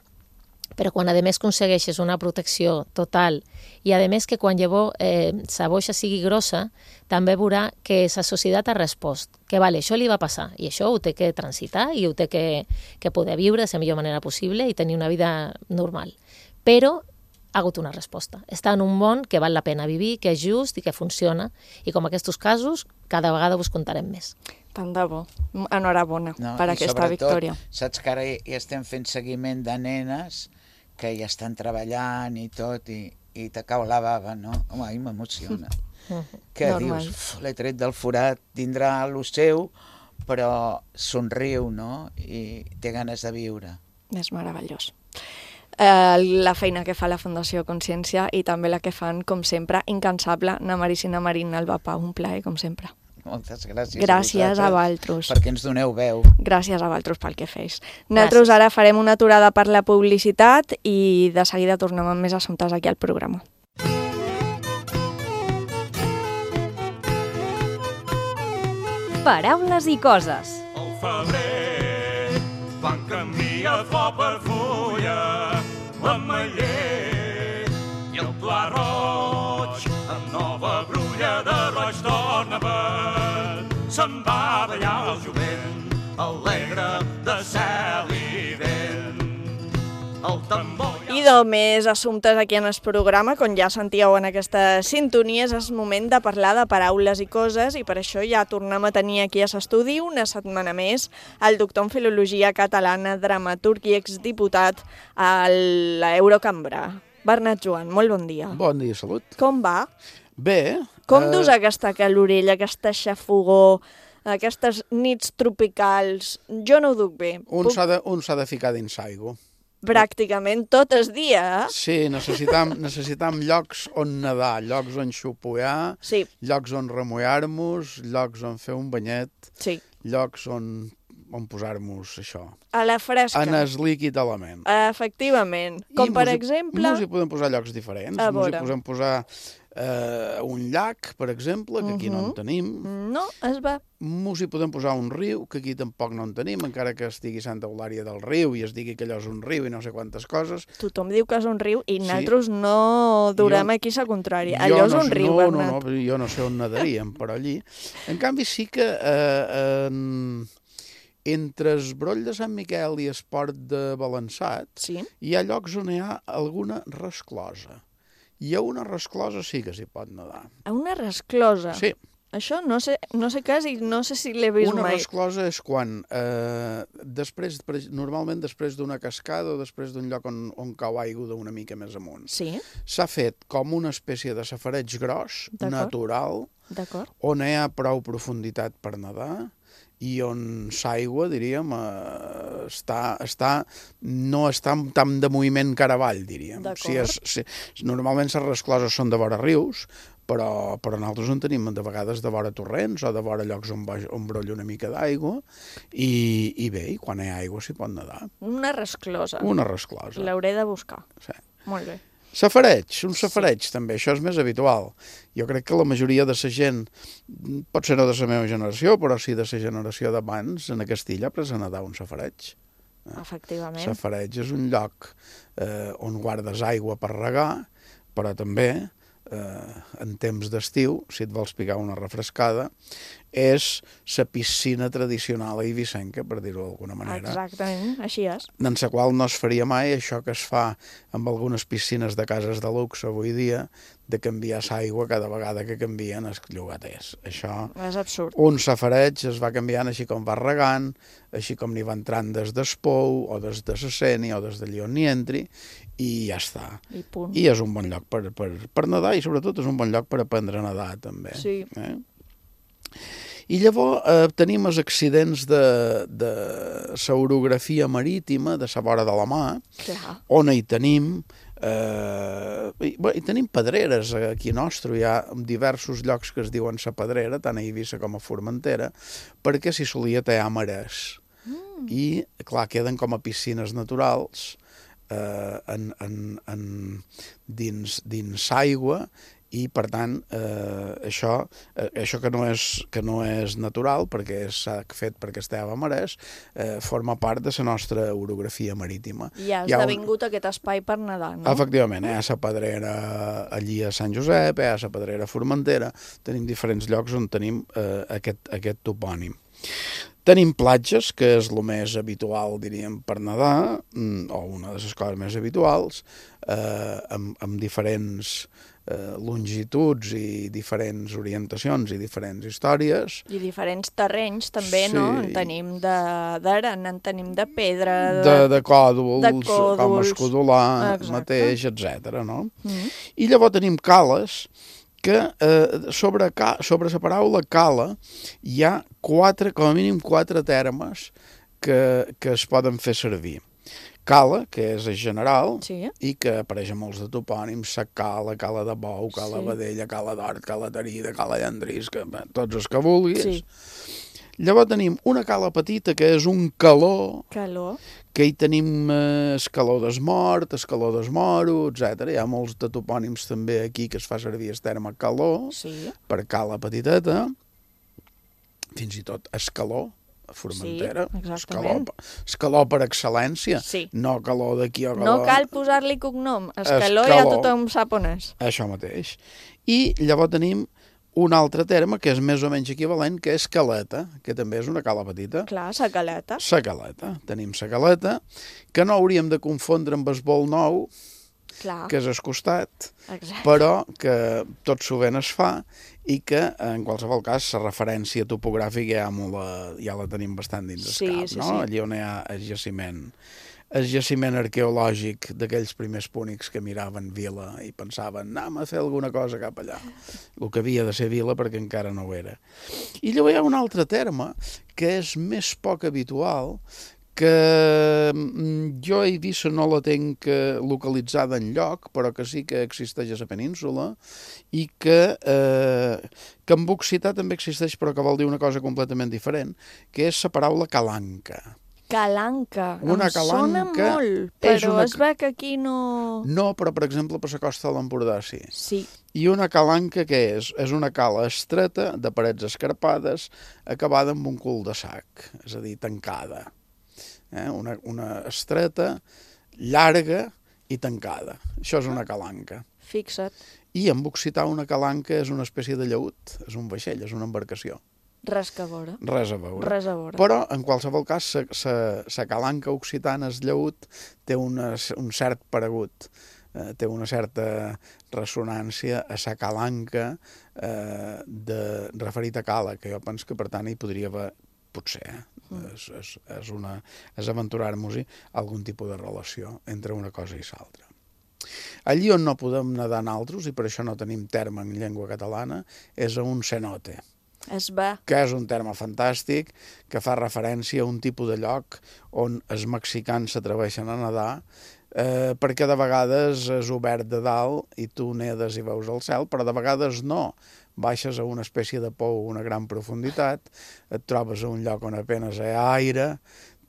Però quan a més aconsegueixes una protecció total i a més que quan llavors la boixa sigui grossa, també veurà que la societat ha respost, que vale, això li va passar i això ho té que transitar i ho té que poder viure de la millor manera possible i tenir una vida normal. Però ha hagut una resposta. Està en un món que val la pena vivir, que és just i que funciona, i com aquests casos, cada vegada us contarem més. Tant de bo. Enhorabona per aquesta victòria. Saps que ara ja estem fent seguiment de nenes que ja estan treballant i tot, i te cau la bava, no? Home, a mi m'emociona. Que dius, l'he tret del forat, tindrà el seu, però somriu, no? I té ganes de viure. És meravellós. La feina que fa la Fundació Consciència i també la que fan, com sempre, incansable, na Maricina Marín, Alba Pau, un plaer, com sempre. Moltes gràcies. Gràcies a vosaltres. Perquè ens doneu veu. Gràcies a vosaltres pel que feis. Nosaltres ara farem una aturada per la publicitat i de seguida tornem amb més assumptes aquí al programa. Paraules i coses. Al febrer fan canvia flor per fulla, l'ametller i el pla roig, amb nova brulla de roig d'ornament. Se'n va ballar el jovent, alegre de cel i vent. El tambor... I més assumptes aquí en el programa, com ja sentíeu en aquesta sintonia, és el moment de parlar de paraules i coses, i per això ja tornem a tenir aquí a l'estudi una setmana més el doctor en Filologia Catalana, dramaturg i exdiputat a l'Eurocambra. Bernat Joan, molt bon dia. Bon dia, salut. Com va? Bé. Com dus aquesta calorella, aquesta xafogor, aquestes nits tropicals? Jo no ho duc bé. Un s'ha de ficar dins aigua. Pràcticament tot el dia, eh? Sí, necessitam llocs on nedar, llocs on xupollar, sí. Llocs on remullar-nos, llocs on fer un banyet, sí. Llocs on posar-nos això. A la fresca. En el líquid element. Efectivament. Com per exemple... Ens hi podem posar llocs diferents. Ens hi podem posar un llac, per exemple, que aquí no en tenim. No, es va. Ens hi podem posar un riu, que aquí tampoc no en tenim, encara que estigui Santa Eulària del Riu i es digui que allò és un riu i no sé quantes coses. Tothom diu que és un riu i nosaltres no durem aquí la contrària. Allò és un riu, Bernat. No, jo no sé on nadaríem, però allí. En canvi, sí que entre el broll de Sant Miquel i el port de Balançat hi ha llocs on hi ha alguna resclosa. I a una resclosa sí que s'hi pot nedar. A una resclosa? Sí. Això no sé què és i no sé si l'he vist mai. Una resclosa és quan, normalment després d'una cascada o després d'un lloc on cau aigua d'una mica més amunt, s'ha fet com una espècie de safareig gros, natural, on hi ha prou profunditat per nedar, i on l'aigua, diríem, no està tan de moviment cara avall, diríem. Normalment les rescloses són de vora rius, però nosaltres en tenim de vegades de vora torrents o de vora llocs on brolla una mica d'aigua, i bé, i quan hi ha aigua s'hi pot nedar. Una resclosa. Una resclosa. L'hauré de buscar. Sí. Molt bé. Un safareig també, això és més habitual. Jo crec que la majoria de la gent, potser no de la meva generació, però sí de la generació d'abans, en Castilla ha après a nedar un safareig. Efectivament. Safareig és un lloc on guardes aigua per regar, però també, en temps d'estiu, si et vols picar una refrescada, és la piscina tradicional eivissenca, per dir-ho d'alguna manera. Exactament, així és. En la qual no es faria mai això que es fa amb algunes piscines de cases de luxe avui dia, de canviar l'aigua cada vegada que canvien els llogaters. Això és absurd. Un safareig es va canviant així com va regant, així com n'hi va entrant des d'Espou, o des de la Sénia, o des d'allí on n'hi entri, i ja està. I és un bon lloc per nedar, i sobretot és un bon lloc per aprendre a nedar, també. Sí. I llavors tenim els accidents de l'orografia marítima, de la vora de la mar, on hi tenim pedreres aquí nostre, hi ha diversos llocs que es diuen la Pedrera, tant a Eivissa com a Formentera, perquè s'hi solia tallar marès. I, clar, queden com a piscines naturals dins aigua, i per tant això que no és natural, perquè s'ha fet perquè estava a marès, forma part de la nostra orografia marítima. I ha esdevingut aquest espai per nedar, no? Efectivament, hi ha la Pedrera allí a Sant Josep, hi ha la Pedrera a Formentera, tenim diferents llocs on tenim aquest topònim. Tenim platges, que és el més habitual, diríem, per nedar, o una de les coses més habituals, amb diferents longituds i diferents orientacions i diferents històries. I diferents terrenys, també, no? En tenim d'arena, en tenim de pedra... De còdols, com escodolar, mateix, etc. I llavors tenim cales, que sobre la paraula cala hi ha com a mínim 4 termes que es poden fer servir. Cala, que és general, Sí. i que apareix a molts de topònims, Sa Cala, Cala de Bou, Cala Vedella, Cala d'Hort, Cala Tarida, Cala Llandrisca, tots els que vulguis. Sí. Llavors tenim una cala petita, que és un caló, Calor. que hi tenim escaló d'esmort, escaló d'esmoro, etc. Hi ha molts de topònims també aquí que es fa servir el terme caló, per cala petiteta, fins i tot escaló, a Formentera, escaló per excel·lència, no caló d'aquí o caló... No cal posar-li cognom, escaló ja tothom sap on és. Això mateix. I llavors tenim un altre terme que és més o menys equivalent, que és caleta, que també és una cala petita. Clar, sa caleta. Sa caleta. Tenim sa caleta, que no hauríem de confondre amb el bol nou, que és al costat, però que tot sovint es fa i que, en qualsevol cas, la referència topogràfica ja la tenim bastant dins el cap, no? Allí on hi ha el jaciment arqueològic d'aquells primers púnics que miraven vila i pensaven, anem a fer alguna cosa cap allà. El que havia de ser vila perquè encara no ho era. I llavors hi ha un altre terme que és més poc habitual, que jo a Eivissa no la tinc localitzada enlloc, però que sí que existeix a la península, i que en occità també existeix, però que vol dir una cosa completament diferent, que és la paraula calanca. Calanca. Una sona molt, però es ve que aquí no... No, però per exemple per la costa de l'Empordà sí. Sí. I una calanca què és? És una cala estreta, de parets escarpades, acabada amb un cul de sac, és a dir, tancada. Una estreta, llarga i tancada. Això és una calanca. Fixa't. I en occità una calanca és una espècie de llaüt, és un vaixell, és una embarcació. Res a veure. Res a veure. Res a veure. Però, en qualsevol cas, la calanca occitana, el llaüt, té un cert paregut, té una certa ressonància a la calanca referit a cala, que jo penso que, per tant, hi podria haver, potser, és aventurar-nos-hi algun tipus de relació entre una cosa i l'altra. Allí on no podem nedar naltros, i per això no tenim terme en llengua catalana, és a un cenote. Que és un terme fantàstic, que fa referència a un tipus de lloc on els mexicans s'atreveixen a nedar, perquè de vegades és obert de dalt i tu nedes i veus el cel, però de vegades no. Baixes a una espècie de pou a una gran profunditat, et trobes a un lloc on apenas hi ha aire,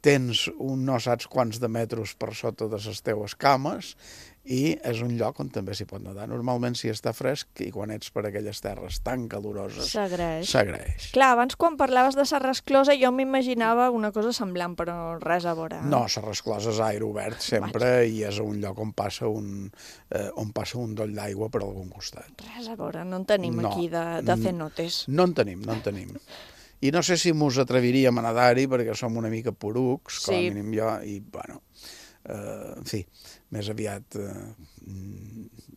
tens un no saps quants de metres per sota de les teues cames, i és un lloc on també s'hi pot nedar. Normalment si està fresc i quan ets per aquelles terres tan caloroses s'agraeix. Clar, abans quan parlaves de la resclosa jo m'imaginava una cosa semblant, però res a veure. No, la resclosa és aire obert sempre i és un lloc on passa un doll d'aigua per algun costat. Res a veure, no en tenim aquí de cenotes. No en tenim. I no sé si mos atreviríem a nedar-hi perquè som una mica porucs, com a mínim jo, i bueno, en fi, més aviat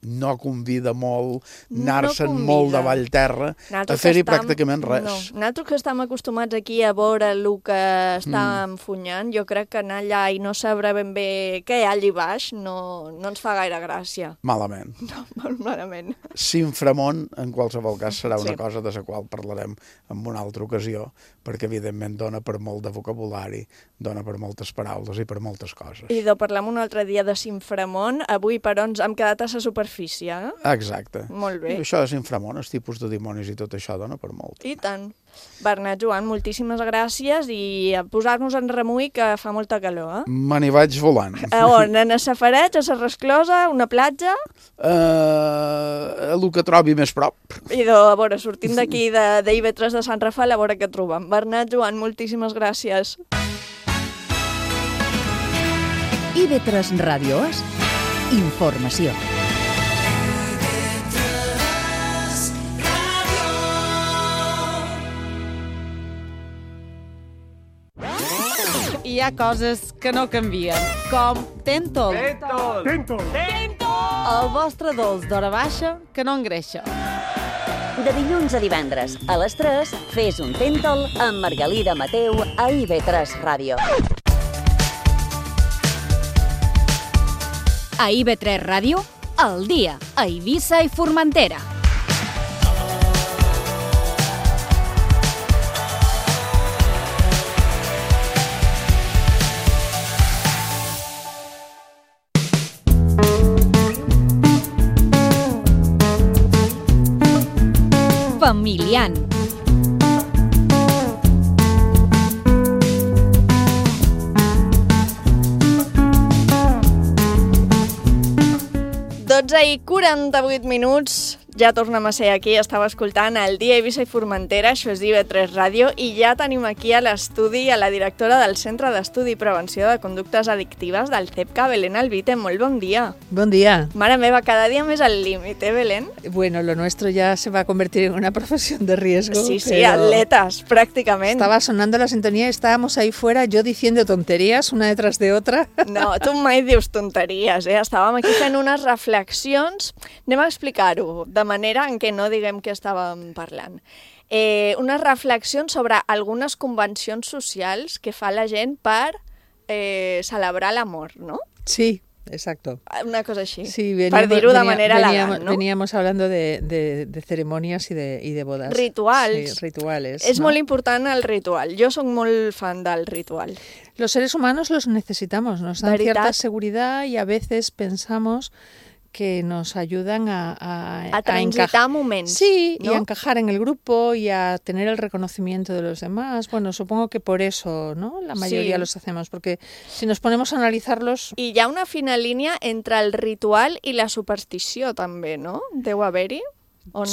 no convida molt anar-se'n molt de Vallterra a fer-hi pràcticament res. No. Nosaltres que estem acostumats aquí a veure el que està enfunyant, jo crec que anar allà i no saber ben bé què hi ha allà baix no ens fa gaire gràcia. Malament. No, molt malament. S'inframont, en qualsevol cas, serà una cosa de la qual parlarem en una altra ocasió, perquè evidentment dona per molt de vocabulari, dona per moltes paraules i per moltes coses. I de parlar un altre dia de s'inframont, avui però ens hem quedat a la superfície, eh? Exacte. Molt bé. Això de s'inframont, els tipus de dimonis i tot això dona per molt. I tant. Bernat, Joan, moltíssimes gràcies i a posar-nos en remull que fa molta calor, eh? Me n'hi vaig volant. A on? A Safareig, a la Resclosa, una platja? El que trobi més prop. I a veure, sortim d'aquí d'IV3 de Sant Rafael, a veure què trobem. Bernat, Joan, moltíssimes gràcies. IV3 Ràdio És informació. Hi ha coses que no canvien, com Tentol. Tentol! El vostre dolç d'hora baixa que no engreixa. De dilluns a divendres, a les 3, fes un Tentol amb Margalida Mateu a IV3 Ràdio. A IV3 Ràdio, al dia, a Eivissa i Formentera. Familiant. I 48 minuts, ja tornem a ser aquí, estava escoltant el Dia Eivissa i Formentera, això és IB3 Ràdio, i ja tenim aquí a l'estudi a la directora del Centre d'Estudi i Prevenció de Conductes Addictives del CEPCA, Belén Albite. Molt bon dia. Bon dia. Mare meva, cada dia més al límit, Belén? Bueno, lo nuestro ya se va a convertir en una profesión de riesgo. Sí, sí, atletas, prácticamente. Estaba sonando la sintonía y estábamos ahí fuera, yo diciendo tonterías una detrás de otra. No, tu mai dius tonteries, Estàvem aquí fent unes reflexions, anem a explicar-ho de manera en què no diguem què estàvem parlant. Unes reflexions sobre algunes convencions socials que fa la gent per celebrar l'amor, ¿no? Sí, exacto. Una cosa així, sí, per dir-ho de manera elegant, ¿no? Veníamos hablando de ceremonias y de bodas. Rituals. Sí, rituales. És molt important el ritual. Jo soc molt fan del ritual. Los seres humanos los necesitamos, nos dan cierta seguridad y a veces pensamos que nos ayudan a transitar momentos. Sí, ¿no? Y a encajar en el grupo y a tener el reconocimiento de los demás. Bueno, supongo que por eso, ¿no? La mayoría los hacemos, porque si nos ponemos a analizarlos... I hi ha una fina línia entre el ritual i la superstició, també, no? Deu haver-hi? ¿O no?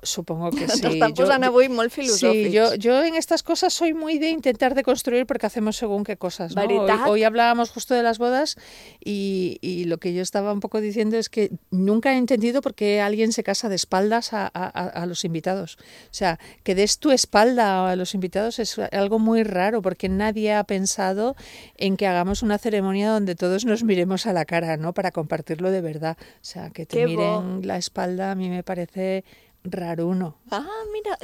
Supongo que sí. Están posant avui molt filosòfics. Sí, yo en estas cosas soy muy de intentar deconstruir porque hacemos según qué cosas, ¿no? Hoy hablábamos justo de las bodas y lo que yo estaba un poco diciendo es que nunca he entendido por qué alguien se casa de espaldas a los invitados. O sea, que des tu espalda a los invitados es algo muy raro porque nadie ha pensado en que hagamos una ceremonia donde todos nos miremos a la cara, ¿no? Para compartirlo de verdad. O sea, que te miren la espalda a mí me parece raruno. Ah, mira,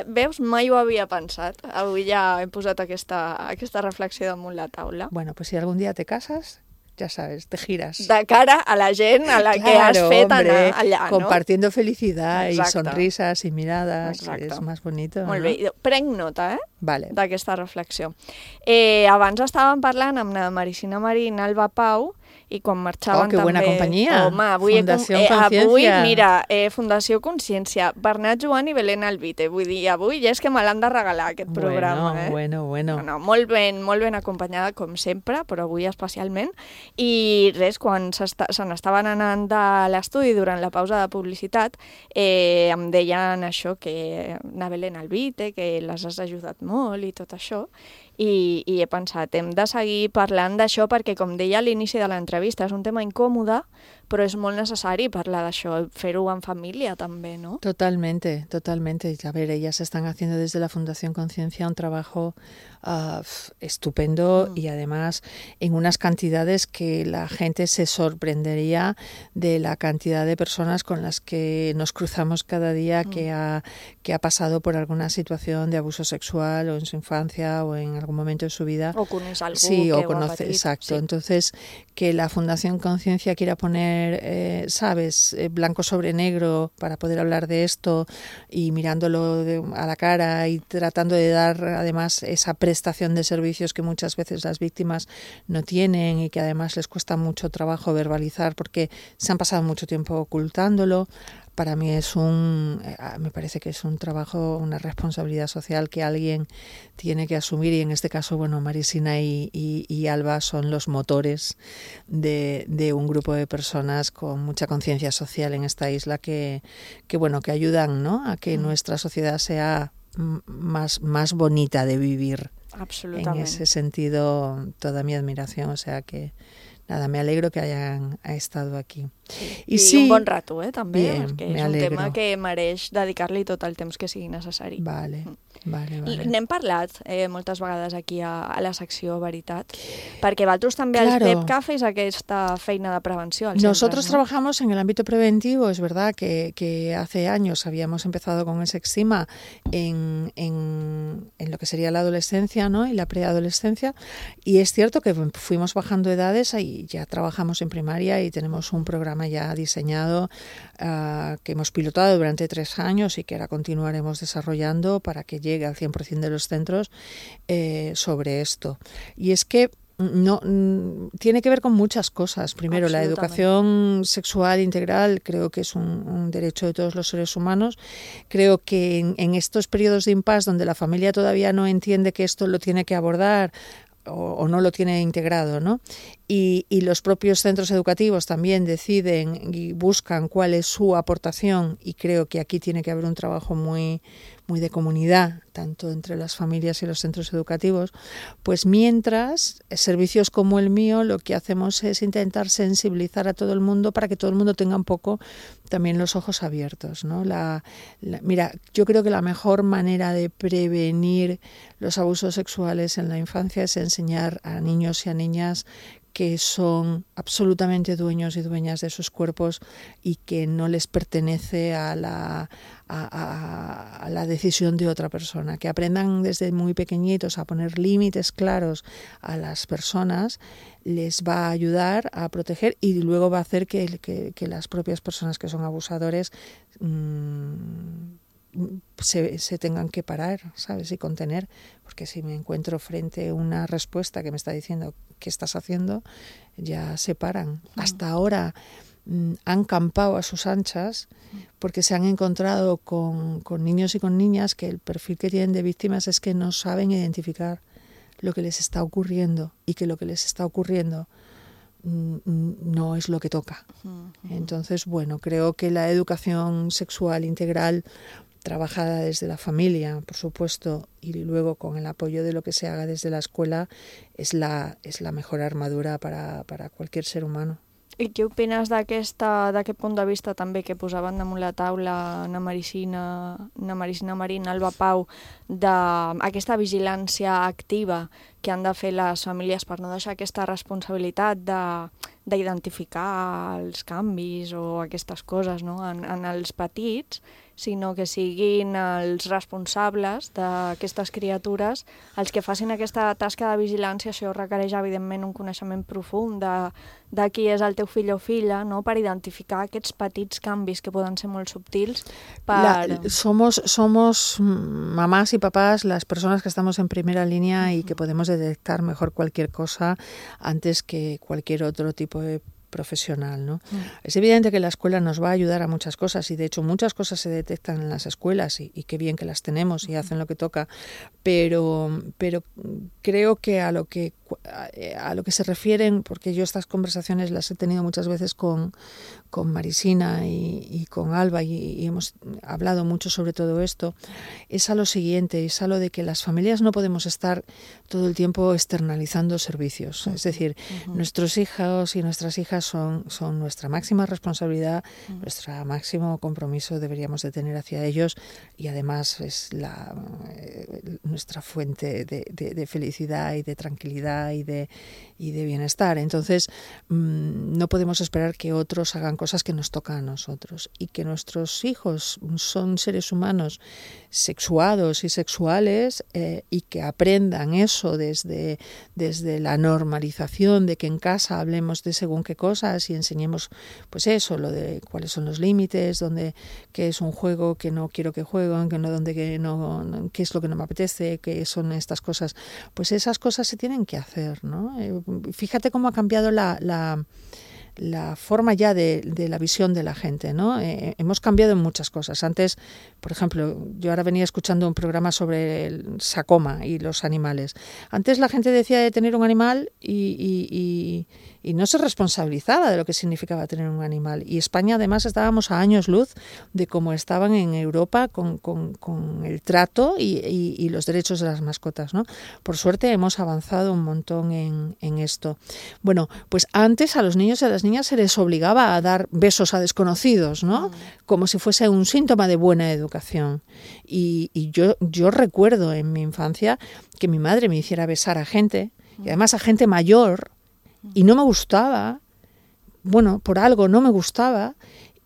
veus, mai ho havia pensat. Avui ja he posat aquesta reflexió damunt la taula. Bueno, pues si algún día te casas, ya sabes, te giras. De cara a la gent a la que has fet anar allà, ¿no? Compartiendo felicidad y sonrisas y miradas. Exacte. És més bonito. Molt bé. Prenc nota, Vale. D'aquesta reflexió. Abans estàvem parlant amb la Maricina Marín, Alba Pau, i quan marxaven que buena també... compañía. Home, avui, avui mira, Fundació Consciència, Bernat Joan i Belén Albite. Vull dir, avui ja és que me l'han de regalar, aquest programa. Bueno. No, molt ben acompanyada, com sempre, però avui especialment. I res, quan se n'estaven anant de l'estudi durant la pausa de publicitat, em deien això, que na Belén Albite, que les has ajudat molt i tot això. I he pensat, hem de seguir parlant d'això perquè, com deia a l'inici de l'entrevista, és un tema incòmode, però és molt necessari parlar d'això, fer-ho en família també, ¿no? Totalmente. A ver, ellas están haciendo desde la Fundación Conciencia un trabajo estupendo y además en unas cantidades que la gente se sorprendería de la cantidad de personas con las que nos cruzamos cada día que ha pasado por alguna situación de abuso sexual o en su infancia o en algún momento de su vida. O conoce algú sí, que o conoce, ho ha patit. exacto. Sí. Entonces, que la Fundación Conciencia quiera poner, blanco sobre negro para poder hablar de esto y mirándolo a la cara y tratando de dar además esa prestación de servicios que muchas veces las víctimas no tienen y que además les cuesta mucho trabajo verbalizar porque se han pasado mucho tiempo ocultándolo. Para mí me parece que es un trabajo, una responsabilidad social que alguien tiene que asumir y en este caso, bueno, Marisina y Alba son los motores de un grupo de personas con mucha conciencia social en esta isla que ayudan, ¿no? A que nuestra sociedad sea más bonita de vivir. Absolutamente. En ese sentido, toda mi admiración, o sea que... Nada, me alegro que hayan estado aquí. I sí, un bon rato, també, bien, perquè és un tema que mereix dedicar-li tot el temps que sigui necessari. Vale. N'hem parlat moltes vegades aquí a la secció Veritat, perquè vosaltres també al CEPCA feis aquesta feina de prevenció als Nosotros centres, ¿no? trabajamos en el ámbito preventivo, es verdad que hace años habíamos empezado con el Sexima en lo que sería la adolescencia, ¿no? Y la preadolescencia, y es cierto que fuimos bajando edades y ya trabajamos en primaria y tenemos un programa ya diseñado que hemos pilotado durante 3 años y que ahora continuaremos desarrollando para que llegue al 100% de los centros sobre esto. Y es que no, tiene que ver con muchas cosas. Primero, la educación sexual integral creo que es un derecho de todos los seres humanos. Creo que en estos periodos de impasse donde la familia todavía no entiende que esto lo tiene que abordar o no lo tiene integrado, ¿no? Y los propios centros educativos también deciden y buscan cuál es su aportación, y creo que aquí tiene que haber un trabajo muy de comunidad, tanto entre las familias y los centros educativos. Pues mientras, servicios como el mío, lo que hacemos es intentar sensibilizar a todo el mundo para que todo el mundo tenga un poco también los ojos abiertos, ¿no? Mira, yo creo que la mejor manera de prevenir los abusos sexuales en la infancia es enseñar a niños y a niñas que son absolutamente dueños y dueñas de sus cuerpos y que no les pertenece a la decisión de otra persona, que aprendan desde muy pequeñitos a poner límites claros a las personas, les va a ayudar a proteger y luego va a hacer que las propias personas que son abusadores se tengan que parar, ¿sabes? Y contener, porque si me encuentro frente a una respuesta que me está diciendo ¿qué estás haciendo?, ya se paran. Hasta ahora han campado a sus anchas porque se han encontrado con niños y con niñas que el perfil que tienen de víctimas es que no saben identificar lo que les está ocurriendo y que lo que les está ocurriendo no es lo que toca. Entonces, bueno, creo que la educación sexual integral trabajada desde la familia, por supuesto, y luego con el apoyo de lo que se haga desde la escuela, es la mejor armadura para cualquier ser humano. I què opines d'aquest punt de vista també que posaven damunt la taula na Maricina Marín, Alba Pau, d'aquesta vigilància activa que han de fer les famílies per no deixar aquesta responsabilitat d'identificar els canvis o aquestes coses, no?, en els petits, sinó que siguin els responsables d'aquestes criatures els que facin aquesta tasca de vigilància. Això requereix, evidentment, un coneixement profund de qui és el teu fill o filla, no?, per identificar aquests petits canvis que poden ser molt subtils. Somos mamás y papás las personas que estamos en primera línea y que podemos detectar mejor cualquier cosa antes que cualquier otro tipo de profesional, ¿no? Es evidente que la escuela nos va a ayudar a muchas cosas y de hecho muchas cosas se detectan en las escuelas y qué bien que las tenemos y hacen lo que toca, pero creo que a lo que se refieren, porque yo estas conversaciones las he tenido muchas veces con Marisina y con Alba y hemos hablado mucho sobre todo esto, es a lo siguiente, es a lo de que las familias no podemos estar todo el tiempo externalizando servicios. Es decir, nuestros hijos y nuestras hijas son nuestra máxima responsabilidad, nuestro máximo compromiso deberíamos de tener hacia ellos y además es nuestra fuente de felicidad y de tranquilidad y de bienestar. Entonces, no podemos esperar que otros hagan cosas que nos tocan a nosotros y que nuestros hijos son seres humanos sexuados y sexuales y que aprendan eso desde la normalización de que en casa hablemos de según qué cosas y enseñemos pues eso, lo de cuáles son los límites, qué es un juego que no quiero que jueguen, qué es lo que no me apetece, qué son estas cosas. Pues esas cosas se tienen que hacer, ¿no? Fíjate cómo ha cambiado la forma ya de la visión de la gente, ¿no? Hemos cambiado en muchas cosas. Antes, por ejemplo, yo ahora venía escuchando un programa sobre el Sacoma y los animales. Antes la gente decía de tener un animal y no se responsabilizaba de lo que significaba tener un animal. Y España, además, estábamos a años luz de cómo estaban en Europa con el trato y los derechos de las mascotas, ¿no? Por suerte hemos avanzado un montón en esto. Bueno, pues antes a los niños y a las niñas se les obligaba a dar besos a desconocidos, ¿no? Como si fuese un síntoma de buena educación. Y yo recuerdo en mi infancia que mi madre me hiciera besar a gente, y además a gente mayor, y no me gustaba, bueno, por algo no me gustaba,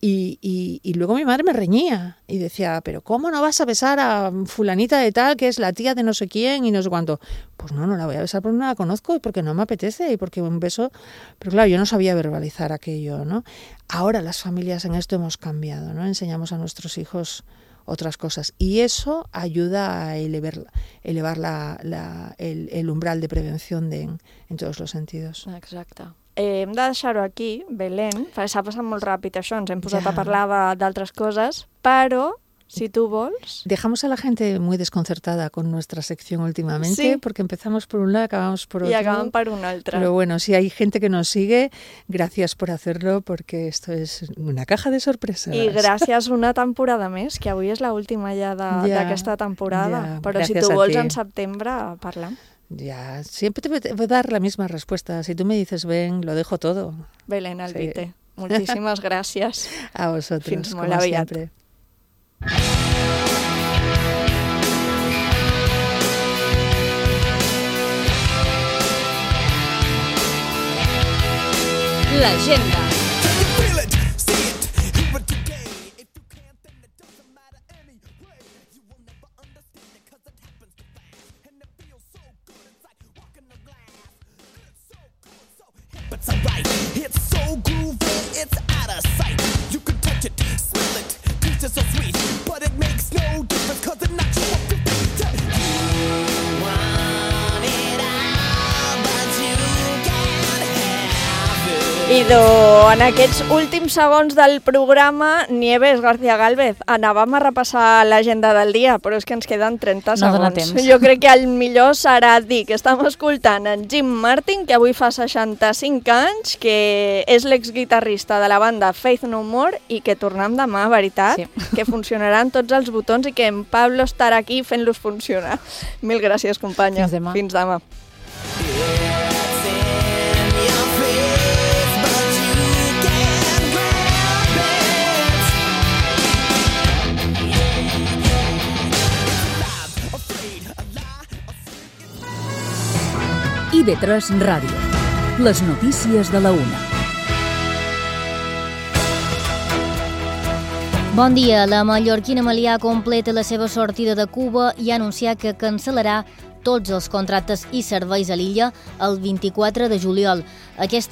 y luego mi madre me reñía y decía, pero ¿cómo no vas a besar a fulanita de tal que es la tía de no sé quién y no sé cuánto? Pues no la voy a besar porque no la conozco y porque no me apetece y porque un beso... Pero claro, yo no sabía verbalizar aquello, ¿no? Ahora las familias en esto hemos cambiado, ¿no? Enseñamos a nuestros hijos otras cosas. Y eso ayuda a elevar el umbral de prevención en todos los sentidos. Exacte. Hem de deixar-ho aquí, Belén, perquè s'ha passat molt ràpid això, ens hem posat a parlar d'altres coses, però, si tú vols... Dejamos a la gente muy desconcertada con nuestra sección últimamente, porque empezamos por un lado, acabamos por otro. Y acaban por un altre. Pero bueno, si hay gente que nos sigue, gracias por hacerlo, porque esto es una caja de sorpresas. I gràcies una temporada més, que avui és l'última ja d'aquesta temporada. Però si tu vols en setembre, parlam. Ya, siempre te voy a dar la misma respuesta. Si tú me dices ven, lo dejo todo. Belén Albite, muchísimas gracias. A vosotros, Fins molt como aviat. siempre. L'agenda. It's alright, it's so groovy, it's out of sight. You can touch it, smell it, taste it so sweet, but it makes no difference 'cause it's not your favorite. You want it all, but you can't have it. Idò, en aquests últims segons del programa, Nieves García Gálvez, anàvem a repassar l'agenda del dia, però és que ens queden 30 segons. No dona temps. Jo crec que el millor serà dir que estem escoltant en Jim Martin, que avui fa 65 anys, que és l'exguitarrista de la banda Faith No More i que tornem demà, veritat? Sí. Que funcionaran tots els botons i que en Pablo estarà aquí fent-los funcionar. Mil gràcies, companya. Fins demà. Fins demà. IB3 Ràdio. Les notícies de la una. Bon dia. La mallorquina Melià completa la seva sortida de Cuba i ha anunciat que cancel·larà tots els contractes i serveis a l'illa el 24 de juliol. Aquesta